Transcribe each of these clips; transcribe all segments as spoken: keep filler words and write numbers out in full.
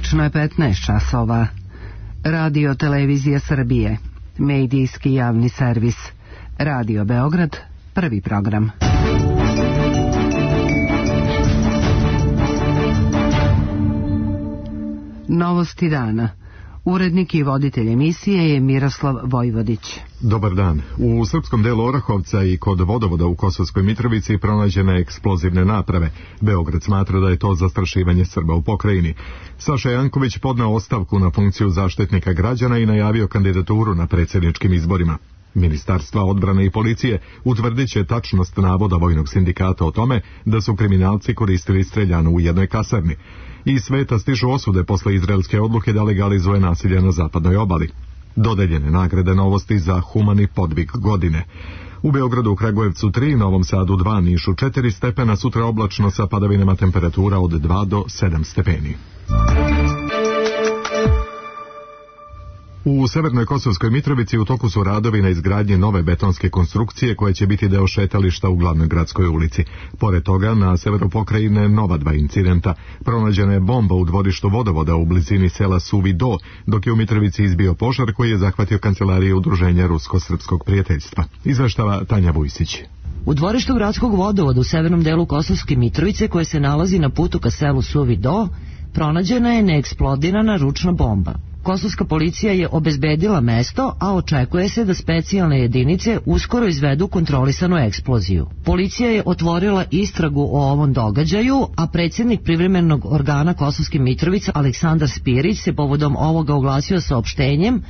Tačno je petnaest časova. Radio Televizija Srbije, medijski javni servis. Radio Beograd, prvi program. Novosti dana. Urednik i voditelj emisije je Miroslav Vojvodić. Dobar dan. U srpskom delu Orahovca i kod vodovoda u Kosovskoj Mitrovici pronađene eksplozivne naprave. Beograd smatra da je to zastrašivanje Srba u pokrajini. Saša Janković podneo ostavku na funkciju zaštitnika građana i najavio kandidaturu na predsjedničkim izborima. Ministarstva odbrane i policije utvrdit će tačnost navoda vojnog sindikata o tome da su kriminalci koristili streljanu u jednoj kasarni. Iz sveta stižu osude posle izraelske odluke da legalizuje nasilje na zapadnoj obali. Dodeljene nagrade Novosti za humani podvig godine. U Beogradu, u Kragujevcu tri, Novom Sadu dva, Nišu četiri stepena, sutra oblačno sa padavinama, temperatura od dva do sedam stepeni. U severnoj Kosovskoj Mitrovici u toku su radovi na izgradnji nove betonske konstrukcije koje će biti deo šetališta u glavnoj gradskoj ulici. Pored toga, na severu pokrajine nova dva incidenta. Pronađena je bomba u dvorištu vodovoda u blizini sela Suvi Do, dok je u Mitrovici izbio požar koji je zahvatio kancelarije Udruženja Rusko-Srpskog prijateljstva. Izveštava Tanja Vujsić. U dvorištu gradskog vodovoda u severnom delu Kosovske Mitrovice, koje se nalazi na putu ka selu Suvi Do, pronađena je neeksplodirana ručna bomba. Kosovska policija je obezbedila mesto, a očekuje se da specijalne jedinice uskoro izvedu kontrolisanu eksploziju. Policija je otvorila istragu o ovom događaju, a predsjednik privremenog organa Kosovske Mitrovice Aleksandar Spirić se povodom ovoga oglasio saopštenjem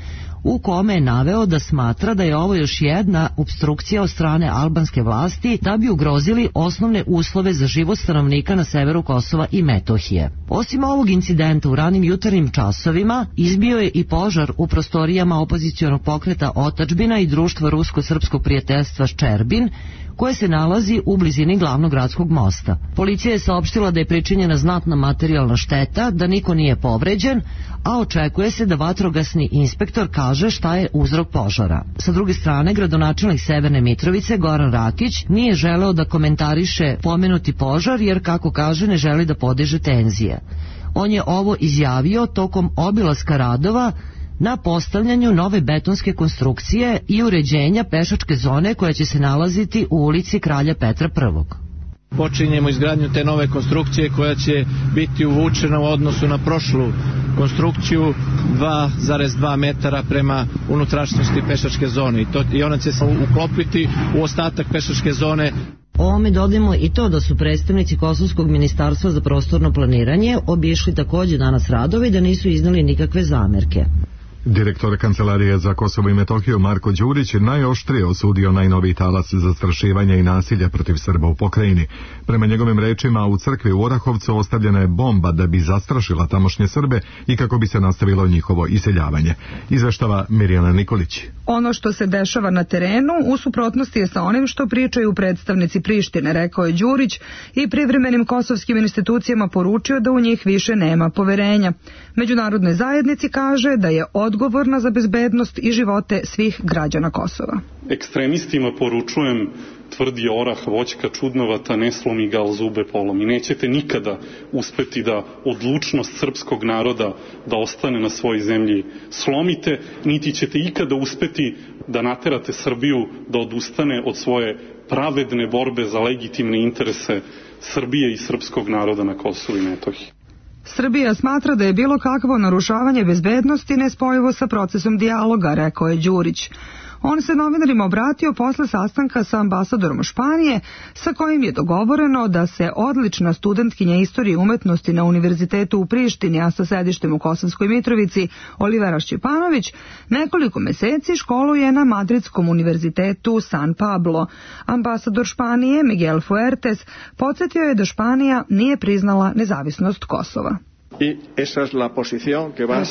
u kome je naveo da smatra da je ovo još jedna opstrukcija od strane albanske vlasti da bi ugrozili osnovne uslove za život stanovnika na severu Kosova i Metohije. Osim ovog incidenta u ranim jutarnjim časovima izbio je i požar u prostorijama opozicionog pokreta Otadžbina i društva Rusko-Srpskog prijateljstva Ščerbin, koje se nalazi u blizini glavnog gradskog mosta. Policija je saopštila da je pričinjena znatna materijalna šteta, da niko nije povređen, a očekuje se da vatrogasni inspektor kaže šta je uzrok požara. Sa druge strane, gradonačelnik Severne Mitrovice Goran Rakić nije želeo da komentariše pomenuti požar jer, kako kaže, ne želi da podiže tenzije. On je ovo izjavio tokom obilaska radova na postavljanju nove betonske konstrukcije i uređenja pešačke zone koja će se nalaziti u ulici Kralja Petra Prvog. Počinjemo izgradnju te nove konstrukcije koja će biti uvučena u odnosu na prošlu konstrukciju dva zarez dva metara prema unutrašnjosti pešačke zone i, to, i ona će se uklopiti u ostatak pešačke zone. Ovome dodajemo i to da su predstavnici Kosovskog ministarstva za prostorno planiranje obišli takođe danas radove i da nisu iznali nikakve zamerke. Direktor Kancelarije za Kosovo i Metohiju Marko Đurić najoštrije osudio najnoviji talas zastrašivanja i nasilja protiv Srba u pokrajini. Prema njegovim rečima, u crkvi u Orahovcu ostavljena je bomba da bi zastrašila tamošnje Srbe i kako bi se nastavilo njihovo iseljavanje. Izveštava Mirjana Nikolić. Ono što se dešava na terenu u suprotnosti je sa onim što pričaju predstavnici Prištine, rekao je Đurić i privremenim kosovskim institucijama poručio da u njih više nema poverenja. Međunarodnoj zajednici kaže da je odgovorna za bezbednost i živote svih građana Kosova. Ekstremistima poručujem, tvrdi orah, voćka čudnovata, ne slomi ga, al zube polomi. Nećete nikada uspeti da odlučnost srpskog naroda da ostane na svojoj zemlji slomite, niti ćete ikada uspeti da naterate Srbiju da odustane od svoje pravedne borbe za legitimne interese Srbije i srpskog naroda na Kosovu i Metohiji. Srbija smatra da je bilo kakvo narušavanje bezbednosti nespojivo sa procesom dijaloga, rekao je Đurić. On se novinarima obratio posle sastanka sa ambasadorom Španije, sa kojim je dogovoreno da se odlična studentkinja istorije i umetnosti na Univerzitetu u Prištini, a sa sedištem u Kosovskoj Mitrovici, Olivera Šćepanović, nekoliko meseci školuje na Madridskom univerzitetu San Pablo. Ambasador Španije, Miguel Fuertes, podsjetio je da Španija nije priznala nezavisnost Kosova.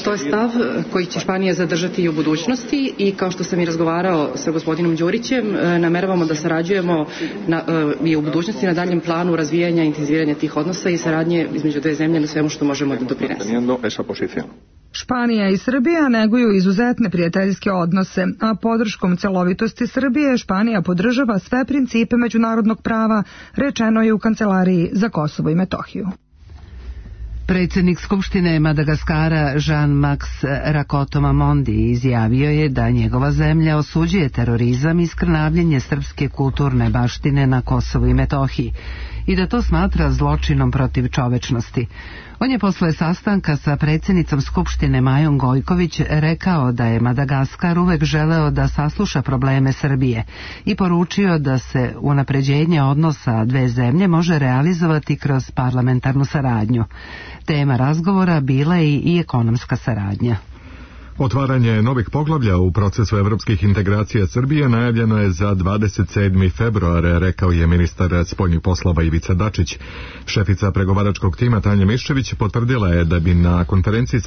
To je stav koji će Španija zadržati i u budućnosti i kao što sam i razgovarao sa gospodinom Đurićem, nameravamo da sarađujemo na, i u budućnosti na daljem planu razvijanja i intenziviranja tih odnosa i saradnje između dve zemlje na svemu što možemo da doprinesemo. Španija i Srbija neguju izuzetne prijateljske odnose, a podrškom celovitosti Srbije Španija podržava sve principe međunarodnog prava, rečeno je u Kancelariji za Kosovo i Metohiju. Predsjednik Skupštine Madagaskara Jean-Max Rakotomamondi izjavio je da njegova zemlja osuđuje terorizam i skrnavljenje srpske kulturne baštine na Kosovu i Metohiji i da to smatra zločinom protiv čovečnosti. On je posle sastanka sa predsjednicom Skupštine Majom Gojković rekao da je Madagaskar uvek želeo da sasluša probleme Srbije i poručio da se unapređenje odnosa dve zemlje može realizovati kroz parlamentarnu saradnju. Tema razgovora bila je i ekonomska saradnja. Otvaranje novih poglavlja u procesu evropskih integracija Srbije najavljeno je za dvadeset sedmi februar, rekao je ministar spoljnih poslova Ivica Dačić. Šefica pregovaračkog tima Tanja Miščević potvrdila je da bi na konferenciji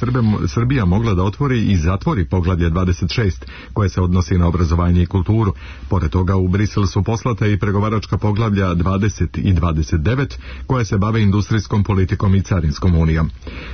Srbija mogla da otvori i zatvori poglavlje dvadeset šest, koje se odnosi na obrazovanje i kulturu. Pored toga u Brisel su poslate i pregovaračka poglavlja dvadeset i dvadeset devet, koje se bave industrijskom politikom i carinskom unijom.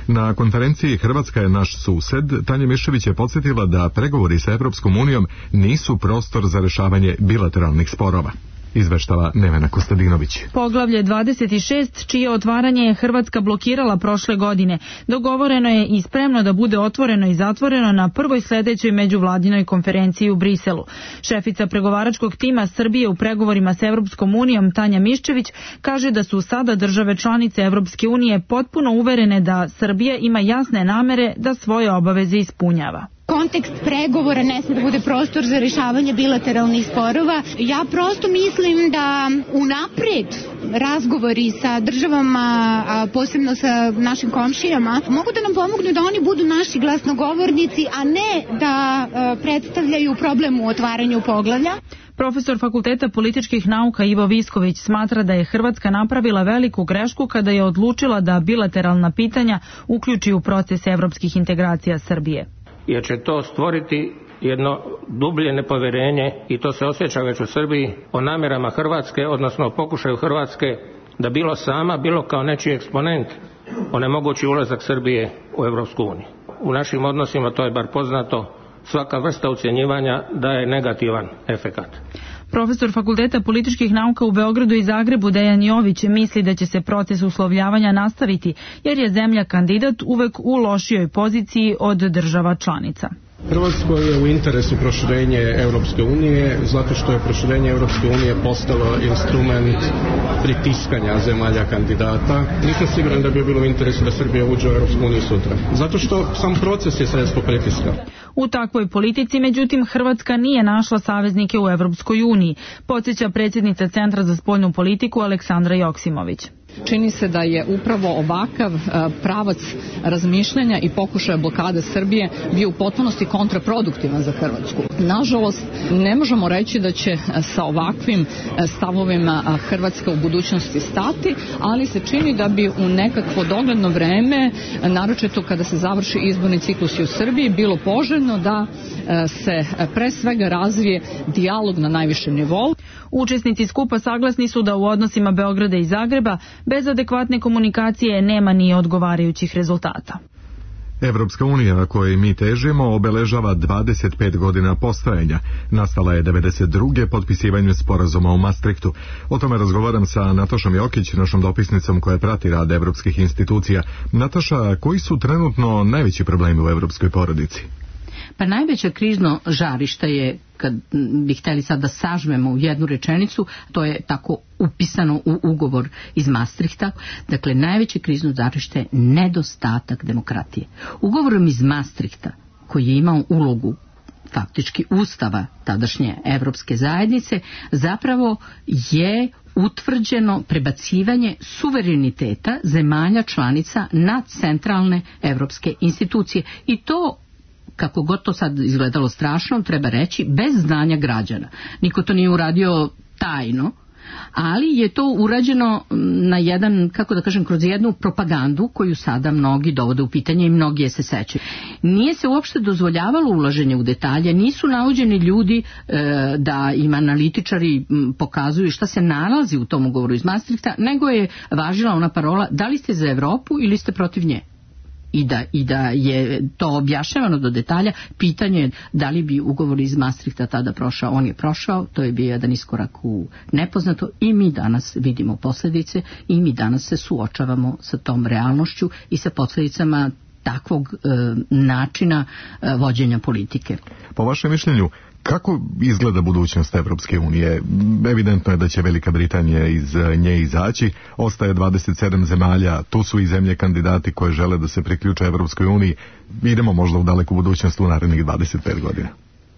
Na konferenciji Hrvatska je naš sused, Tanja Miščević je podsjetila da pregovori sa Evropskom unijom nisu prostor za rešavanje bilateralnih sporova. Izveštava Nevena Kostadinović. Poglavlje dvadeset šest, čije otvaranje je Hrvatska blokirala prošle godine, dogovoreno je i spremno da bude otvoreno i zatvoreno na prvoj sledećoj međuvladinoj konferenciji u Briselu. Šefica pregovaračkog tima Srbije u pregovorima sa Evropskom unijom Tanja Miščević kaže da su sada države članice Evropske unije potpuno uverene da Srbija ima jasne namere da svoje obaveze ispunjava. Kontekst pregovora ne sme da bude prostor za rešavanje bilateralnih sporova. Ja prosto mislim da unapred razgovori sa državama, a posebno sa našim komšijama, mogu da nam pomognu da oni budu naši glasnogovornici, a ne da predstavljaju problem u otvaranju poglavlja. Profesor Fakulteta političkih nauka Ivo Visković smatra da je Hrvatska napravila veliku grešku kada je odlučila da bilateralna pitanja uključi u proces evropskih integracija Srbije. Jer će to stvoriti jedno dublje nepoverenje, i to se osjeća već u Srbiji, o namjerama Hrvatske, odnosno o pokušaju Hrvatske da bilo sama, bilo kao nečiji eksponent onemogući ulazak Srbije u Evropsku uniju. U našim odnosima, to je bar poznato, svaka vrsta ucjenjivanja daje negativan efekat. Profesor Fakulteta političkih nauka u Beogradu i Zagrebu Dejan Jović misli da će se proces uslovljavanja nastaviti, jer je zemlja kandidat uvek u lošijoj poziciji od država članica. Hrvatskoj je u interesu proširenje Europske unije, zato što je proširenje Europske unije postalo instrument pritiskanja zemalja kandidata. Nisam siguran da bi bilo u interesu da Srbija uđe u Europsku uniju sutra, zato što sam proces je sredstvo pritiska. U takvoj politici, međutim, Hrvatska nije našla saveznike u Europskoj uniji, podsjeća predsjednica Centra za spoljnu politiku Aleksandra Joksimović. Čini se da je upravo ovakav pravac razmišljanja i pokušaja blokade Srbije bio u potpunosti kontraproduktivan za Hrvatsku. Nažalost, ne možemo reći da će sa ovakvim stavovima Hrvatska u budućnosti stati, ali se čini da bi u nekakvo dogledno vreme, naročito kada se završi izborni ciklus u Srbiji, bilo poželjno da se pre svega razvije dijalog na najvišem nivou. Učesnici skupa saglasni su da u odnosima Beograda i Zagreba bez adekvatne komunikacije nema ni odgovarajućih rezultata. Evropska unija, kojoj mi težimo, obeležava dvadeset pet godina postojanja. Nastala je devedeset druge potpisivanjem sporazuma u Maastrichtu. O tome razgovaram sa Natašom Jokić, našom dopisnicom koja prati rad evropskih institucija. Nataša, koji su trenutno najveći problemi u evropskoj porodici? Pa najveće krizno žarište je, kad bi htjeli sad da sažmemo u jednu rečenicu, to je tako upisano u ugovor iz Maastrichta. Dakle, najveće krizno žarište je nedostatak demokratije. Ugovorom iz Maastrichta, koji je imao ulogu faktički ustava tadašnje Evropske zajednice, zapravo je utvrđeno prebacivanje suvereniteta zemalja članica na centralne evropske institucije. I to, kako god to sad izgledalo strašno, treba reći, bez znanja građana. Niko to nije uradio tajno, ali je to urađeno na jedan, kako da kažem, kroz jednu propagandu koju sada mnogi dovode u pitanje i mnogi je se sećaju. Nije se uopšte dozvoljavalo ulaženje u detalje, nisu navođeni ljudi e, da im analitičari pokazuju šta se nalazi u tom ugovoru iz Maastrichta, nego je važila ona parola: da li ste za Evropu ili ste protiv nje? i da, i da je to objašnjavano do detalja. Pitanje je da li bi ugovor iz Maastrichta tada prošao. On je prošao, to je bio jedan iskorak u nepoznato i mi danas vidimo posljedice i mi danas se suočavamo sa tom realnošću i sa posljedicama takvog e, načina e, vođenja politike. Po vašem mišljenju, kako izgleda budućnost Evropske unije? Evidentno je da će Velika Britanija iz nje izaći, ostaje dvadeset sedam zemalja, tu su i zemlje kandidati koje žele da se priključe Evropskoj uniji. Idemo možda u daleku budućnost u narednih dvadeset pet godina.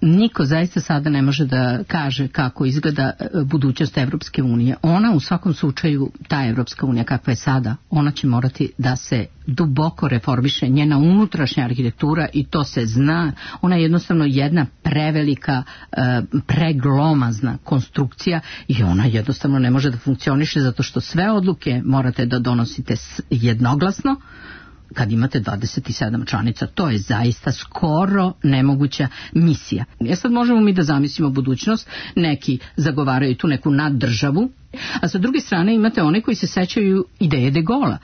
Niko zaista sada ne može da kaže kako izgleda budućnost Evropske unije. Ona u svakom slučaju, ta Evropska unija kakva je sada, ona će morati da se duboko reformiše, njena unutrašnja arhitektura, i to se zna. Ona je jednostavno jedna prevelika, preglomazna konstrukcija i ona jednostavno ne može da funkcioniše zato što sve odluke morate da donosite jednoglasno kad imate dvadeset sedam članica. To je zaista skoro nemoguća misija. Ja sad možemo mi da zamislimo budućnost, neki zagovaraju tu neku naddržavu, a sa druge strane imate one koji se sećaju ideje de Gola,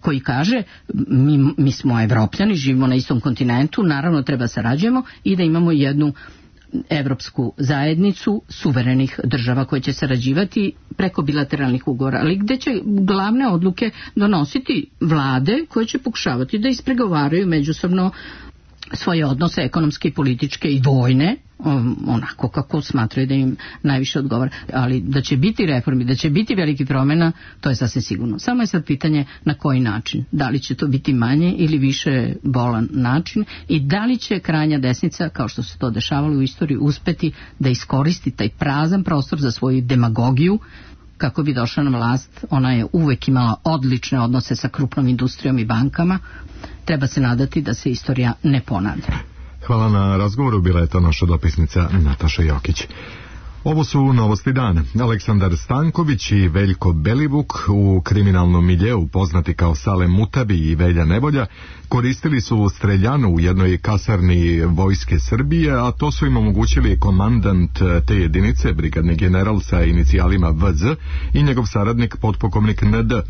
koji kaže mi, mi smo Evropljani, živimo na istom kontinentu, naravno treba sarađujemo i da imamo jednu evropsku zajednicu suverenih država koje će sarađivati preko bilateralnih ugovora, ali gde će glavne odluke donositi vlade koje će pokušavati da ispregovaraju međusobno svoje odnose ekonomske, političke i vojne, onako kako smatraju da im najviše odgovara. Ali da će biti reformi, da će biti veliki promjena, to je sasvim sigurno. Samo je sad pitanje na koji način. Da li će to biti manje ili više bolan način i da li će krajnja desnica, kao što se to dešavalo u istoriji, uspeti da iskoristi taj prazan prostor za svoju demagogiju kako bi došla na vlast. Ona je uvek imala odlične odnose sa krupnom industrijom i bankama. Treba se nadati da se istorija ne ponavlja. Hvala na razgovoru, bila je to naša dopisnica Nataša Jokić. Ovo su novosti dana. Aleksandar Stanković i Veljko Belivuk, u kriminalnom miljeu poznati kao Sale Mutabi i Velja Nevolja, koristili su streljanu u jednoj kasarni Vojske Srbije, a to su im omogućili komandant te jedinice, brigadni general sa inicijalima V Z i njegov saradnik potpukovnik N D.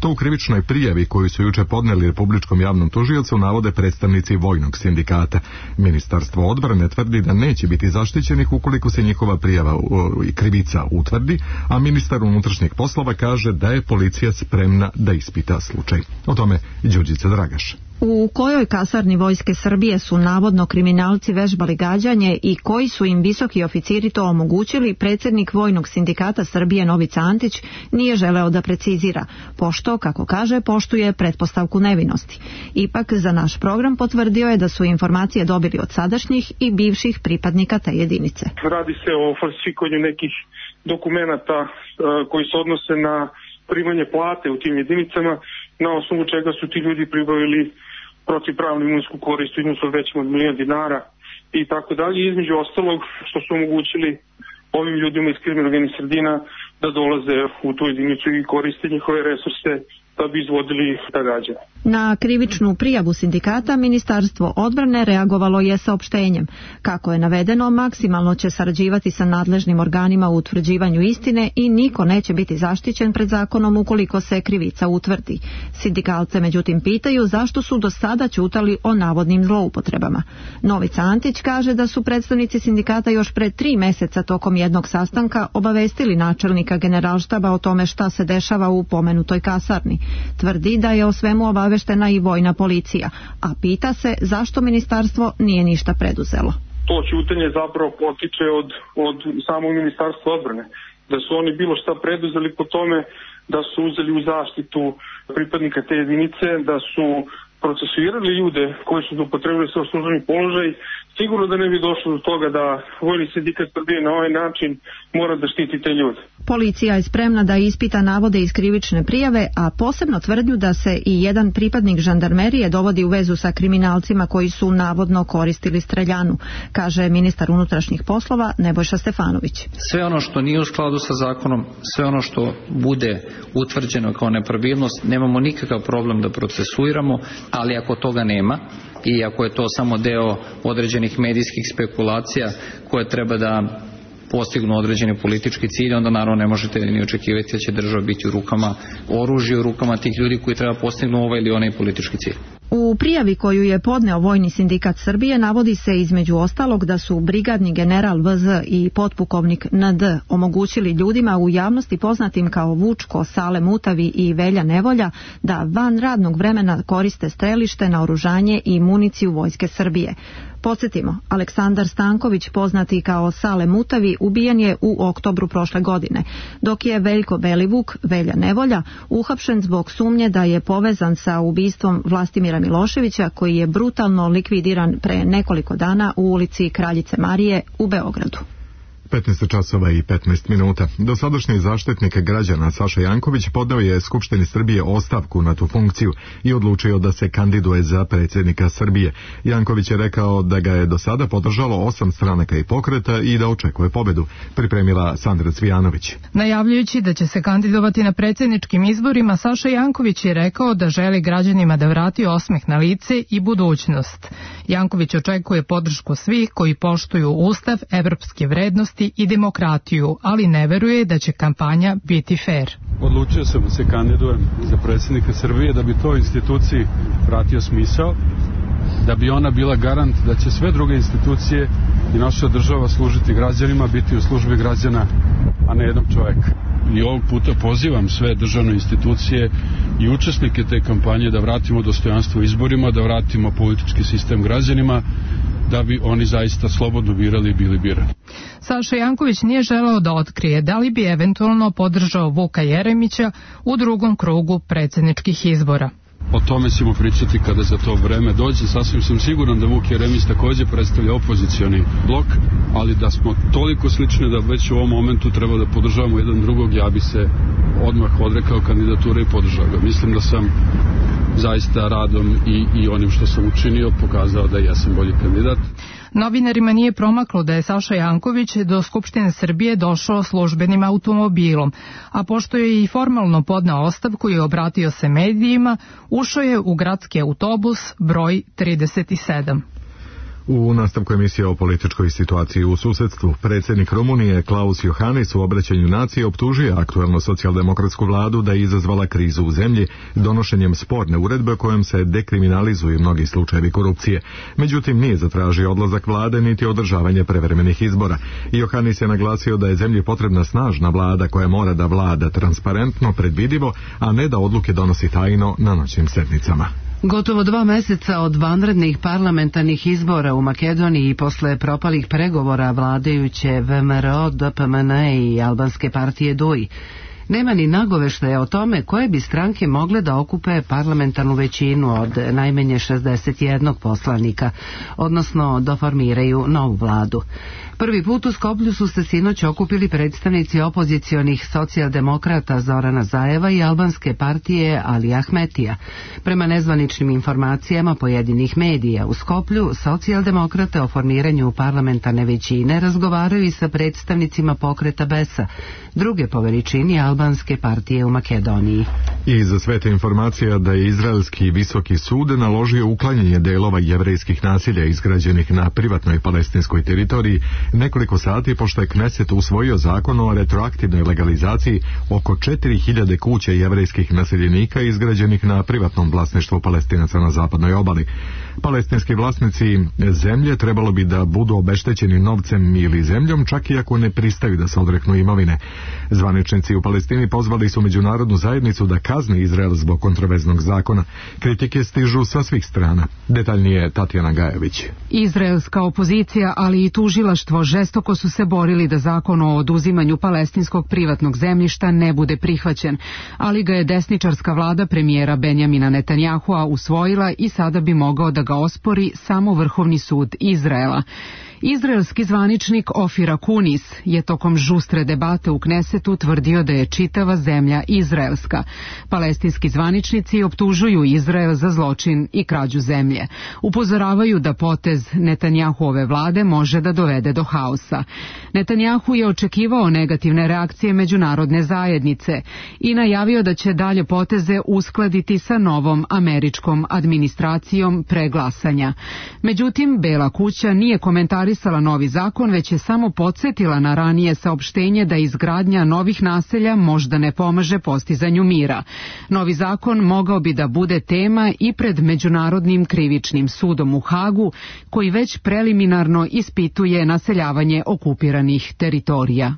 To u krivičnoj prijavi koju su juče podneli Republičkom javnom tužiocu navode predstavnici vojnog sindikata. Ministarstvo odbrane tvrdi da neće biti zaštićenih ukoliko se njihova prijava i krivica utvrdi, a ministar unutrašnjih poslova kaže da je policija spremna da ispita slučaj. O tome Đurđica Dragaš. U kojoj kasarni Vojske Srbije su navodno kriminalci vežbali gađanje i koji su im visoki oficiri to omogućili, predsjednik Vojnog sindikata Srbije Novica Antić nije želeo da precizira, pošto, kako kaže, poštuje pretpostavku nevinosti. Ipak za naš program potvrdio je da su informacije dobili od sadašnjih i bivših pripadnika te jedinice. Radi se o falsifikovanju nekih dokumenata koji se odnose na primanje plate u tim jedinicama, na osnovu čega su ti ljudi pribavili protivpravnu imovinsku korist u iznosu većem od milion dinara i tako dalje. Između ostalog što su omogućili ovim ljudima iz kriminalnih sredina da dolaze u tu jedinicu i koriste njihove resurse da bi izvodili ta gađanja. Na krivičnu prijavu sindikata Ministarstvo odbrane reagovalo je saopštenjem. Kako je navedeno, maksimalno će sarađivati sa nadležnim organima u utvrđivanju istine i niko neće biti zaštićen pred zakonom ukoliko se krivica utvrdi. Sindikalce međutim pitaju zašto su do sada ćutali o navodnim zloupotrebama. Novica Antić kaže da su predstavnici sindikata još pred tri meseca tokom jednog sastanka obavestili načelnika generalštaba o tome šta se dešava u pomenutoj kasarni. Tvrdi da je o svemu obaveštena i vojna policija, a pita se zašto ministarstvo nije ništa preduzelo. To ćutanje zapravo potiče od, od samog ministarstva odbrane. Da su oni bilo šta preduzeli po tome, da su uzeli u zaštitu pripadnika te jedinice, da su procesuirali ljude koji su upotrebili svoj službeni položaj, sigurno da ne bi došlo do toga da Vojni sindikat Srbije na ovaj način mora da štiti te ljude. Policija je spremna da ispita navode iz krivične prijave, a posebno tvrdnju da se i jedan pripadnik žandarmerije dovodi u vezu sa kriminalcima koji su navodno koristili streljanu, kaže ministar unutrašnjih poslova Nebojša Stefanović. Sve ono što nije u skladu sa zakonom, sve ono što bude utvrđeno kao nepravilnost, nemamo nikakav problem da procesuiramo, ali ako toga nema i ako je to samo deo određenih medijskih spekulacija koje treba da postignu određeni politički cilj, onda naravno ne možete ni očekivati da će država biti u rukama oružja, u rukama tih ljudi koji treba postignu ovaj ili onaj politički cilj. U prijavi koju je podneo Vojni sindikat Srbije navodi se između ostalog da su brigadni general V Z i potpukovnik N D omogućili ljudima u javnosti poznatim kao Vučko, Sale Mutavi i Velja Nevolja da van radnog vremena koriste strelište, naoružanje i municiju Vojske Srbije. Podsjetimo, Aleksandar Stanković, poznati kao Sale Mutavi, ubijen je u oktobru prošle godine, dok je Veljko Belivuk, Velja Nevolja, uhapšen zbog sumnje da je povezan sa ubistvom Vlastimira Miloševića, koji je brutalno likvidiran pre nekoliko dana u ulici Kraljice Marije u Beogradu. petnaest časova i petnaest minuta. Dosadašnji zaštitnik građana Saša Janković podneo je Skupštini Srbije ostavku na tu funkciju i odlučio da se kandiduje za predsjednika Srbije. Janković je rekao da ga je do sada podržalo osam stranaka i pokreta i da očekuje pobedu. Pripremila Sandra Cvijanović. Najavljujući da će se kandidovati na predsjedničkim izborima, Saša Janković je rekao da želi građanima da vrati osmeh na lice i budućnost. Janković očekuje podršku svih koji poštuju Ustav, evropske vrednosti i demokratiju, ali ne veruje da će kampanja biti fair. Odlučio sam da se kandidujem za predsjednika Srbije da bi toj instituciji vratio smisao, da bi ona bila garant da će sve druge institucije i naša država služiti građanima, biti u službi građana, a ne jednog čoveka. I ovog puta pozivam sve državne institucije i učesnike te kampanje da vratimo dostojanstvo izborima, da vratimo politički sistem građanima, da bi oni zaista slobodno birali i bili birani. Saša Janković nije želeo da otkrije da li bi eventualno podržao Vuka Jeremića u drugom krugu predsjedničkih izbora. O tome ćemo pričati kada za to vreme dođe. Sasvim sam siguran da Vuk Jeremić također predstavlja opozicioni blok, ali da smo toliko slični da već u ovom momentu treba da podržavamo jedan drugog, ja bi se odmah odrekao kandidature i podržao ga. Mislim da sam zaista radom i, i onim što sam učinio pokazao da ja sam bolji kandidat. Novinarima nije promaklo da je Saša Janković do Skupštine Srbije došao službenim automobilom, a pošto je i formalno podneo ostavku i obratio se medijima, ušao je u gradski autobus broj trideset sedam. U nastavku emisije o političkoj situaciji u susedstvu, predsjednik Rumunije Klaus Iohannis u obraćanju nacije optužio aktuelnu socijaldemokratsku vladu da je izazvala krizu u zemlji donošenjem sporne uredbe kojom se dekriminalizuju mnogi slučajevi korupcije. Međutim, nije zatražio odlazak vlade niti održavanje prevremenih izbora. Iohannis je naglasio da je zemlji potrebna snažna vlada koja mora da vlada transparentno, predvidivo, a ne da odluke donosi tajno na noćnim sednicama. Gotovo dva meseca od vanrednih parlamentarnih izbora u Makedoniji i posle propalih pregovora vladajuće V M R O, D P M N i albanske partije D U I, nema ni nagoveštaja o tome koje bi stranke mogle da okupe parlamentarnu većinu od najmanje šezdeset jednog poslanika, odnosno da formiraju novu vladu. Prvi put u Skoplju su se sinoć okupili predstavnici opozicionih socijaldemokrata Zorana Zajeva i albanske partije Ali Ahmetija. Prema nezvaničnim informacijama pojedinih medija u Skoplju, socijaldemokrate o formiranju parlamentarne većine razgovaraju i sa predstavnicima pokreta Besa, druge po veličini albanske partije u Makedoniji. I za sve te informacija da je Izraelski visoki sud naložio uklanjanje delova jevrejskih nasilja izgrađenih na privatnoj palestinskoj teritoriji nekoliko sati pošto je Kneset usvojio zakon o retroaktivnoj legalizaciji oko četiri hiljade kuća jevrejskih naseljenika izgrađenih na privatnom vlasništvu Palestinaca na zapadnoj obali. Palestinski vlasnici zemlje trebalo bi da budu obeštećeni novcem ili zemljom, čak i ako ne pristaju da se odreknu imovine. Zvaničnici u Palestini pozvali su međunarodnu zajednicu da kazni Izrael zbog kontroverznog zakona. Kritike stižu sa svih strana. Detaljnije Tatjana Gajević. Izraelska opozicija, ali i tužilaštvo žestoko su se borili da zakon o oduzimanju palestinskog privatnog zemljišta ne bude prihvaćen, ali ga je desničarska vlada premijera Benjamina Netanjahua usvojila i sada bi mogao da ga ospori samo Vrhovni sud Izraela. Izraelski zvaničnik Ofir Akunis je tokom žustre debate u Knesetu tvrdio da je čitava zemlja izraelska. Palestinski zvaničnici optužuju Izrael za zločin i krađu zemlje. Upozoravaju da potez Netanjahuove vlade može da dovede do haosa. Netanjahu je očekivao negativne reakcije međunarodne zajednice i najavio da će dalje poteze uskladiti sa novom američkom administracijom pre glasanja. Međutim, Bela kuća nije komentarisala komentarisala novi zakon, već je samo podsjetila na ranije saopštenje da izgradnja novih naselja možda ne pomaže postizanju mira. Novi zakon mogao bi da bude tema i pred Međunarodnim krivičnim sudom u Hagu, koji već preliminarno ispituje naseljavanje okupiranih teritorija.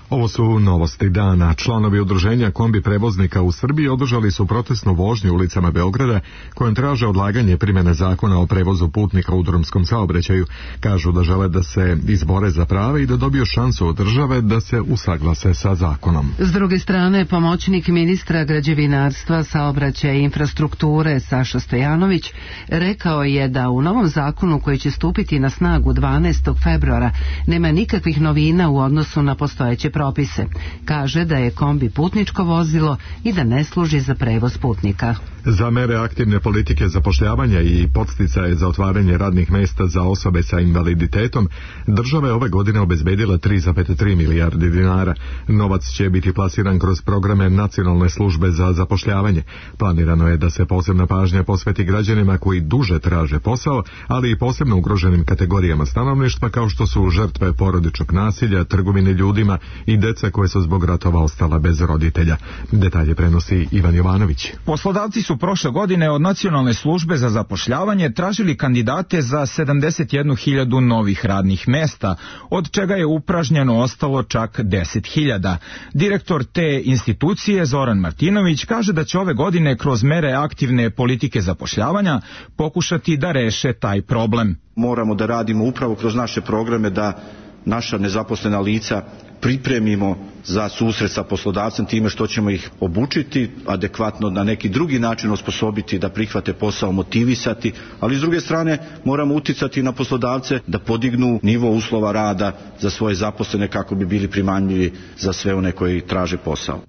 Ovo su novosti dana. Članovi udruženja kombi prevoznika u Srbiji održali su protestnu vožnju ulicama Beograda kojom traže odlaganje primjene zakona o prevozu putnika u drumskom saobraćaju. Kažu da žele da se izbore za prave i da dobiju šansu od države da se usaglase sa zakonom. S druge strane, pomoćnik ministra građevinarstva, saobraćaja i infrastrukture Saša Stojanović rekao je da u novom zakonu koji će stupiti na snagu dvanaestog februara nema nikakvih novina u odnosu na postojeće propise. Kaže da je kombi putničko vozilo i da ne služi za prevoz putnika. Za mere aktivne politike zapošljavanja i podsticaje za otvaranje radnih mesta za osobe sa invaliditetom, država je ove godine obezbedila tri zarez tri milijarde dinara. Novac će biti plasiran kroz programe Nacionalne službe za zapošljavanje. Planirano je da se posebna pažnja posveti građanima koji duže traže posao, ali i posebno ugroženim kategorijama stanovništva kao što su žrtve porodičnog nasilja, trgovine ljudima i deca koje su zbog ratova ostala bez roditelja. Detalje prenosi Ivan Jovanović. Poslodavci su prošle godine od Nacionalne službe za zapošljavanje tražili kandidate za sedamdeset jednu hiljadu novih radnih mesta, od čega je upražnjeno ostalo čak deset hiljada. Direktor te institucije Zoran Martinović kaže da će ove godine kroz mere aktivne politike zapošljavanja pokušati da reše taj problem. Moramo da radimo upravo kroz naše programe da naša nezaposlena lica pripremimo za susret sa poslodavcem time što ćemo ih obučiti, adekvatno na neki drugi način osposobiti da prihvate posao, motivisati, ali s druge strane moramo uticati na poslodavce da podignu nivo uslova rada za svoje zaposlene kako bi bili primamljivi za sve one koji traže posao.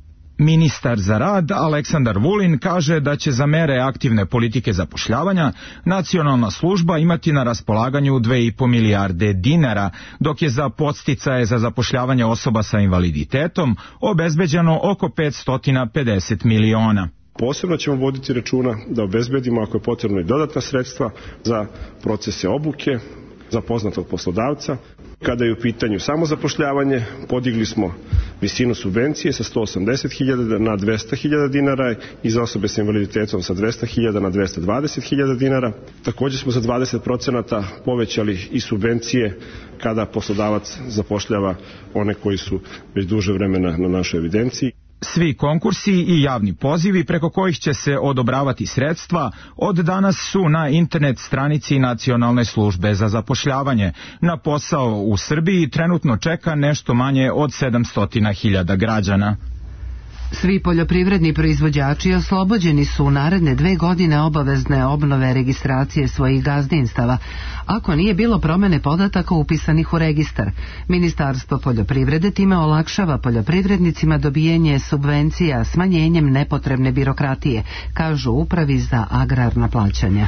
Ministar za rad Aleksandar Vulin kaže da će za mere aktivne politike zapošljavanja Nacionalna služba imati na raspolaganju dve i po milijarde dinara, dok je za podsticaje za zapošljavanje osoba sa invaliditetom obezbeđeno oko petsto pedeset miliona. Posebno ćemo voditi računa da obezbedimo ako je potrebno i dodatna sredstva za procese obuke, za poznatog poslodavca. Kada je u pitanju samozapošljavanje, podigli smo visinu subvencije sa sto osamdeset hiljada na dvesta hiljada dinara i za osobe sa invaliditetom sa dvesta hiljada na dvesta dvadeset hiljada dinara. Također smo za dvadeset procenata povećali i subvencije kada poslodavac zapošljava one koji su već duže vremena na našoj evidenciji. Svi konkursi i javni pozivi preko kojih će se odobravati sredstva od danas su na internet stranici Nacionalne službe za zapošljavanje. Na posao u Srbiji trenutno čeka nešto manje od sedamsto hiljada građana. Svi poljoprivredni proizvođači oslobođeni su u naredne dve godine obavezne obnove registracije svojih gazdinstava, ako nije bilo promene podataka upisanih u registar. Ministarstvo poljoprivrede time olakšava poljoprivrednicima dobijanje subvencija smanjenjem nepotrebne birokratije, kažu u Upravi za agrarna plaćanja.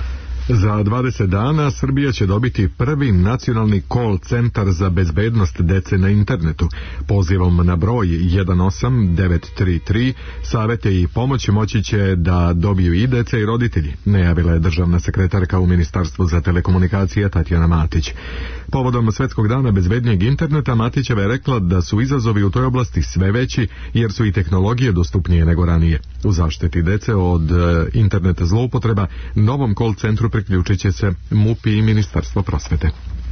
Za dvadeset dana Srbija će dobiti prvi nacionalni call centar za bezbednost dece na internetu. Pozivom na broj jedan osam devet tri tri savete i pomoć moći će da dobiju i deca i roditelji, najavila je državna sekretarka u Ministarstvu za telekomunikacije Tatjana Matić. Povodom Svetskog dana bezbednijeg interneta Matićeva je rekla da su izazovi u toj oblasti sve veći jer su i tehnologije dostupnije nego ranije. U zaštiti dece od e, interneta zloupotreba novom call centru priključit će se M U P i Ministarstvo prosvete.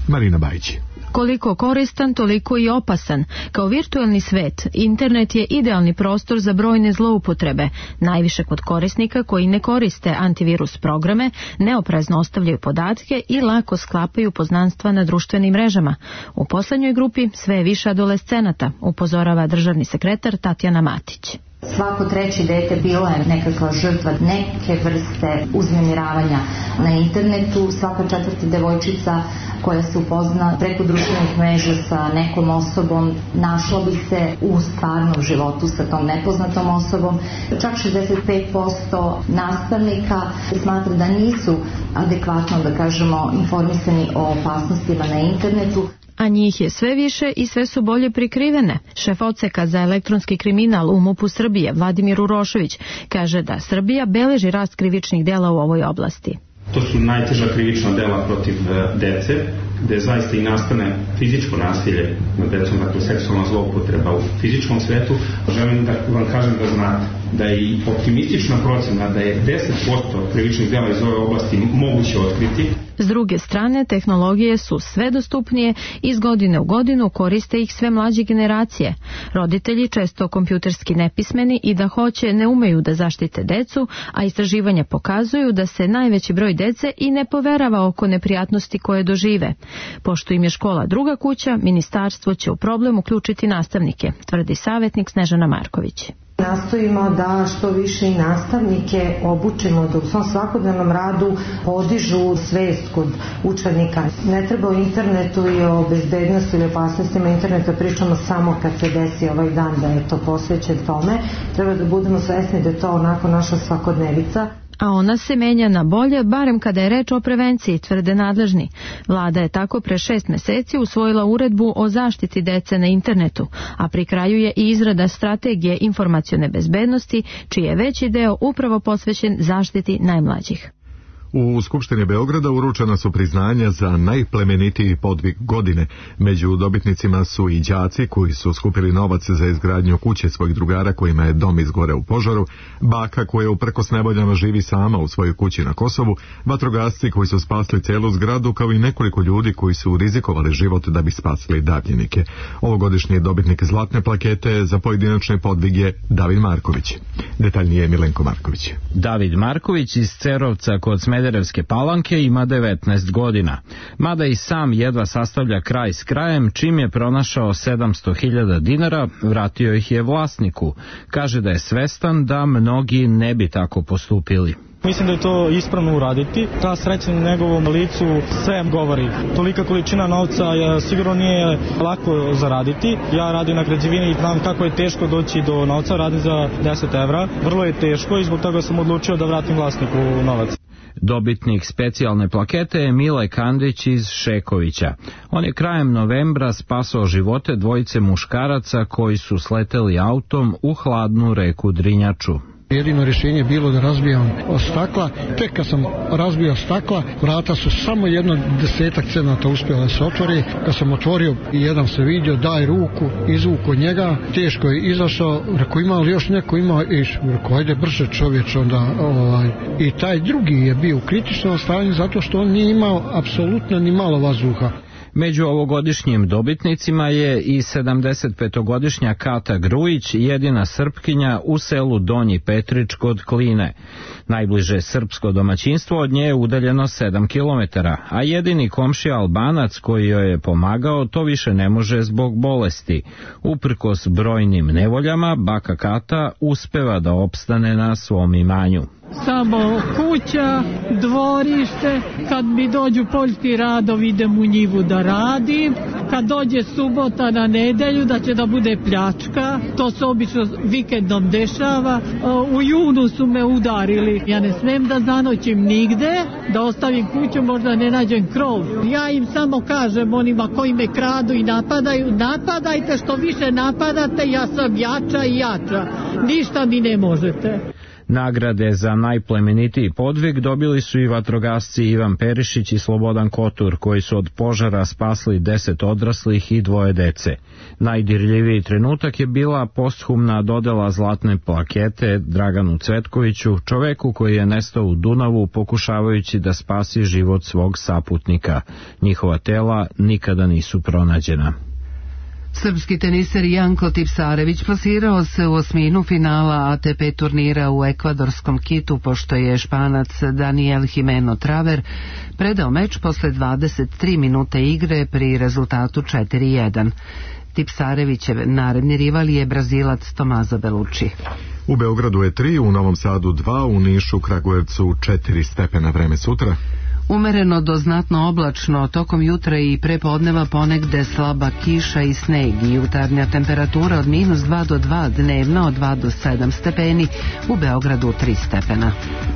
Marina Bajić. Koliko koristan, toliko i opasan. Kao virtualni svet, internet je idealni prostor za brojne zloupotrebe, najviše kod korisnika koji ne koriste antivirus programe, neoprezno ostavljaju podatke i lako sklapaju poznanstva na društvenim mrežama. U poslednjoj grupi sve je više adolescenata, upozorava državni sekretar Tatjana Matić. Svako treće dete bila je nekakva žrtva neke vrste uznemiravanja na internetu. Svaka četvrta devojčica koja se upozna preko društvenih mreža sa nekom osobom našla bi se u stvarnom životu sa tom nepoznatom osobom. Čak šezdeset pet posto nastavnika smatra da nisu adekvatno, da kažemo, informisani o opasnostima na internetu. A njih je sve više i sve su bolje prikrivene. Šef odseka za elektronski kriminal u M U P-u Srbije, Vladimir Urošević, kaže da Srbija beleži rast krivičnih dela u ovoj oblasti. To su najteža krivična dela protiv dece, gde zaista i nastane fizičko nasilje nad decom, dakle seksualna zloupotreba u fizičkom svetu, želim da vam kažem da znate da je i optimistična procena da je deset posto krivičnih dela iz ove oblasti moguće otkriti. S druge strane, tehnologije su sve dostupnije i iz godine u godinu koriste ih sve mlađe generacije. Roditelji, često kompjuterski nepismeni i da hoće, ne umeju da zaštite decu, a istraživanja pokazuju da se najveći broj dece i ne poverava oko neprijatnosti koje dožive. Pošto im je škola druga kuća, ministarstvo će u problem uključiti nastavnike, tvrdi savjetnik Snežana Marković. Nastojimo da što više i nastavnike obučimo da u svom svakodnevnom radu podižu svest kod učenika. Ne treba o internetu i o bezbednosti ili opasnostima interneta pričamo samo kad se desi ovaj dan da je to posvećen tome. Treba da budemo svesni da je to onako naša svakodnevica. A ona se menja na bolje, barem kada je reč o prevenciji, tvrde nadležni. Vlada je tako pre šest meseci usvojila uredbu o zaštiti dece na internetu, a pri kraju je i izrada strategije informacione bezbednosti, čiji je veći deo upravo posvećen zaštiti najmlađih. U Skupštini Beograda uručena su priznanja za najplemenitiji podvig godine. Među dobitnicima su i đaci koji su skupili novac za izgradnju kuće svojih drugara kojima je dom izgoreo u požaru, baka koja uprkos nevoljama živi sama u svojoj kući na Kosovu, vatrogasci koji su spasli celu zgradu, kao i nekoliko ljudi koji su rizikovali život da bi spasili davljenike. Ovogodišnji dobitnik zlatne plakete za pojedinačne podvige David Marković. Detaljnije Milenko Marković. David Marković iz Cerovca kod Smederevske Palanke ima devetnaest godina. Mada i sam jedva sastavlja kraj s krajem, čim je pronašao sedamsto hiljada dinara, vratio ih je vlasniku. Kaže da je svestan da mnogi ne bi tako postupili. Mislim da je to ispravno uraditi. Ta sreća na njegovom licu sve govori. Tolika količina novca je, sigurno nije lako zaraditi. Ja radim na građevini i znam kako je teško doći do novca. Radim za deset evra. Vrlo je teško i zbog toga sam odlučio da vratim vlasniku novac. Dobitnik specijalne plakete je Mile Kandić iz Šekovića. On je krajem novembra spasao živote dvojice muškaraca koji su sleteli autom u hladnu reku Drinjaču. Jedino rješenje je bilo da razbijam stakla. Tek kad sam razbio stakla, vrata su samo jedno desetak centimetara uspjela da se otvori. Kad sam otvorio, jedan se vidio, daj ruku, izvuko njega, teško je izašao, rekao ima li još neko, ima, i rekao ajde brže čovječ onda. Ovaj. I taj drugi je bio u kritičnom stanju zato što on nije imao apsolutno ni malo vazduha. Među ovogodišnjim dobitnicima je i sedamdesetpetogodišnja Kata Grujić, jedina Srpkinja u selu Donji Petrić kod Kline. Najbliže srpsko domaćinstvo od nje je udaljeno sedam kilometara, a jedini komšija Albanac koji joj je pomagao to više ne može zbog bolesti. Uprkos brojnim nevoljama, baka Kata uspeva da opstane na svom imanju. Samo kuća, dvorište, kad mi dođu poljski radovi idem u njivu da radim, kad dođe subota na nedelju da će da bude pljačka, to se obično vikendom dešava. U junu su me udarili, ja ne smem da zanoćim nigde, da ostavim kuću, možda ne nađem krov. Ja im samo kažem onima koji me kradu i napadaju, napadajte, što više napadate, ja sam jača i jača, ništa mi ne možete. Nagrade za najplemenitiji podvig dobili su i vatrogasci Ivan Perišić i Slobodan Kotur, koji su od požara spasli deset odraslih i dvoje dece. Najdirljiviji trenutak je bila posthumna dodela zlatne plakete Draganu Cvetkoviću, čoveku koji je nestao u Dunavu pokušavajući da spasi život svog saputnika. Njihova tela nikada nisu pronađena. Srpski teniser Janko Tipsarević plasirao se u osminu finala A T P turnira u ekvadorskom Kitu, pošto je Španac Daniel Jimeno Traver predao meč posle dvadeset tri minute igre pri rezultatu četiri jedan. Tipsarevićev naredni rival je Brazilac Tomazo Belucci. U Beogradu je tri, u Novom Sadu dva, u Nišu, Kragujevcu četiri stepena. Vreme sutra umereno do znatno oblačno, tokom jutra i prepodneva ponegde slaba kiša i sneg i jutarnja temperatura od minus dva do dva, dnevna od dva do sedam stepeni, u Beogradu tri stepena.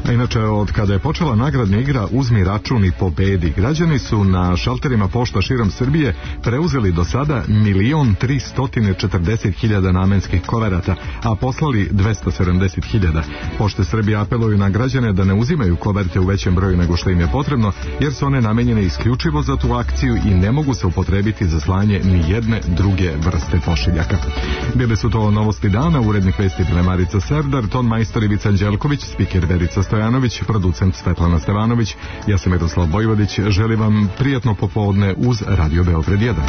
A inače, od kada je počela nagradna igra Uzmi račun i pobedi, građani su na šalterima pošta širom Srbije preuzeli do sada milion tristotine četrdeset hiljada namenskih koverata, a poslali dvesta sedamdeset hiljada. Pošte Srbije apeluju na građane da ne uzimaju koverte u većem broju nego što im je potrebno, jer su one namenjene isključivo za tu akciju i ne mogu se upotrebiti za slanje ni jedne druge vrste pošiljaka. Bile su to novosti dana, urednik vesti bile Marica Serdar, ton majstor Ivica Anđelković, spiker Verica Stojanović, producent Svetlana Stevanović, ja sam Miroslav Bojvodić, želim vam prijatno popodne uz Radio Beograd jedan.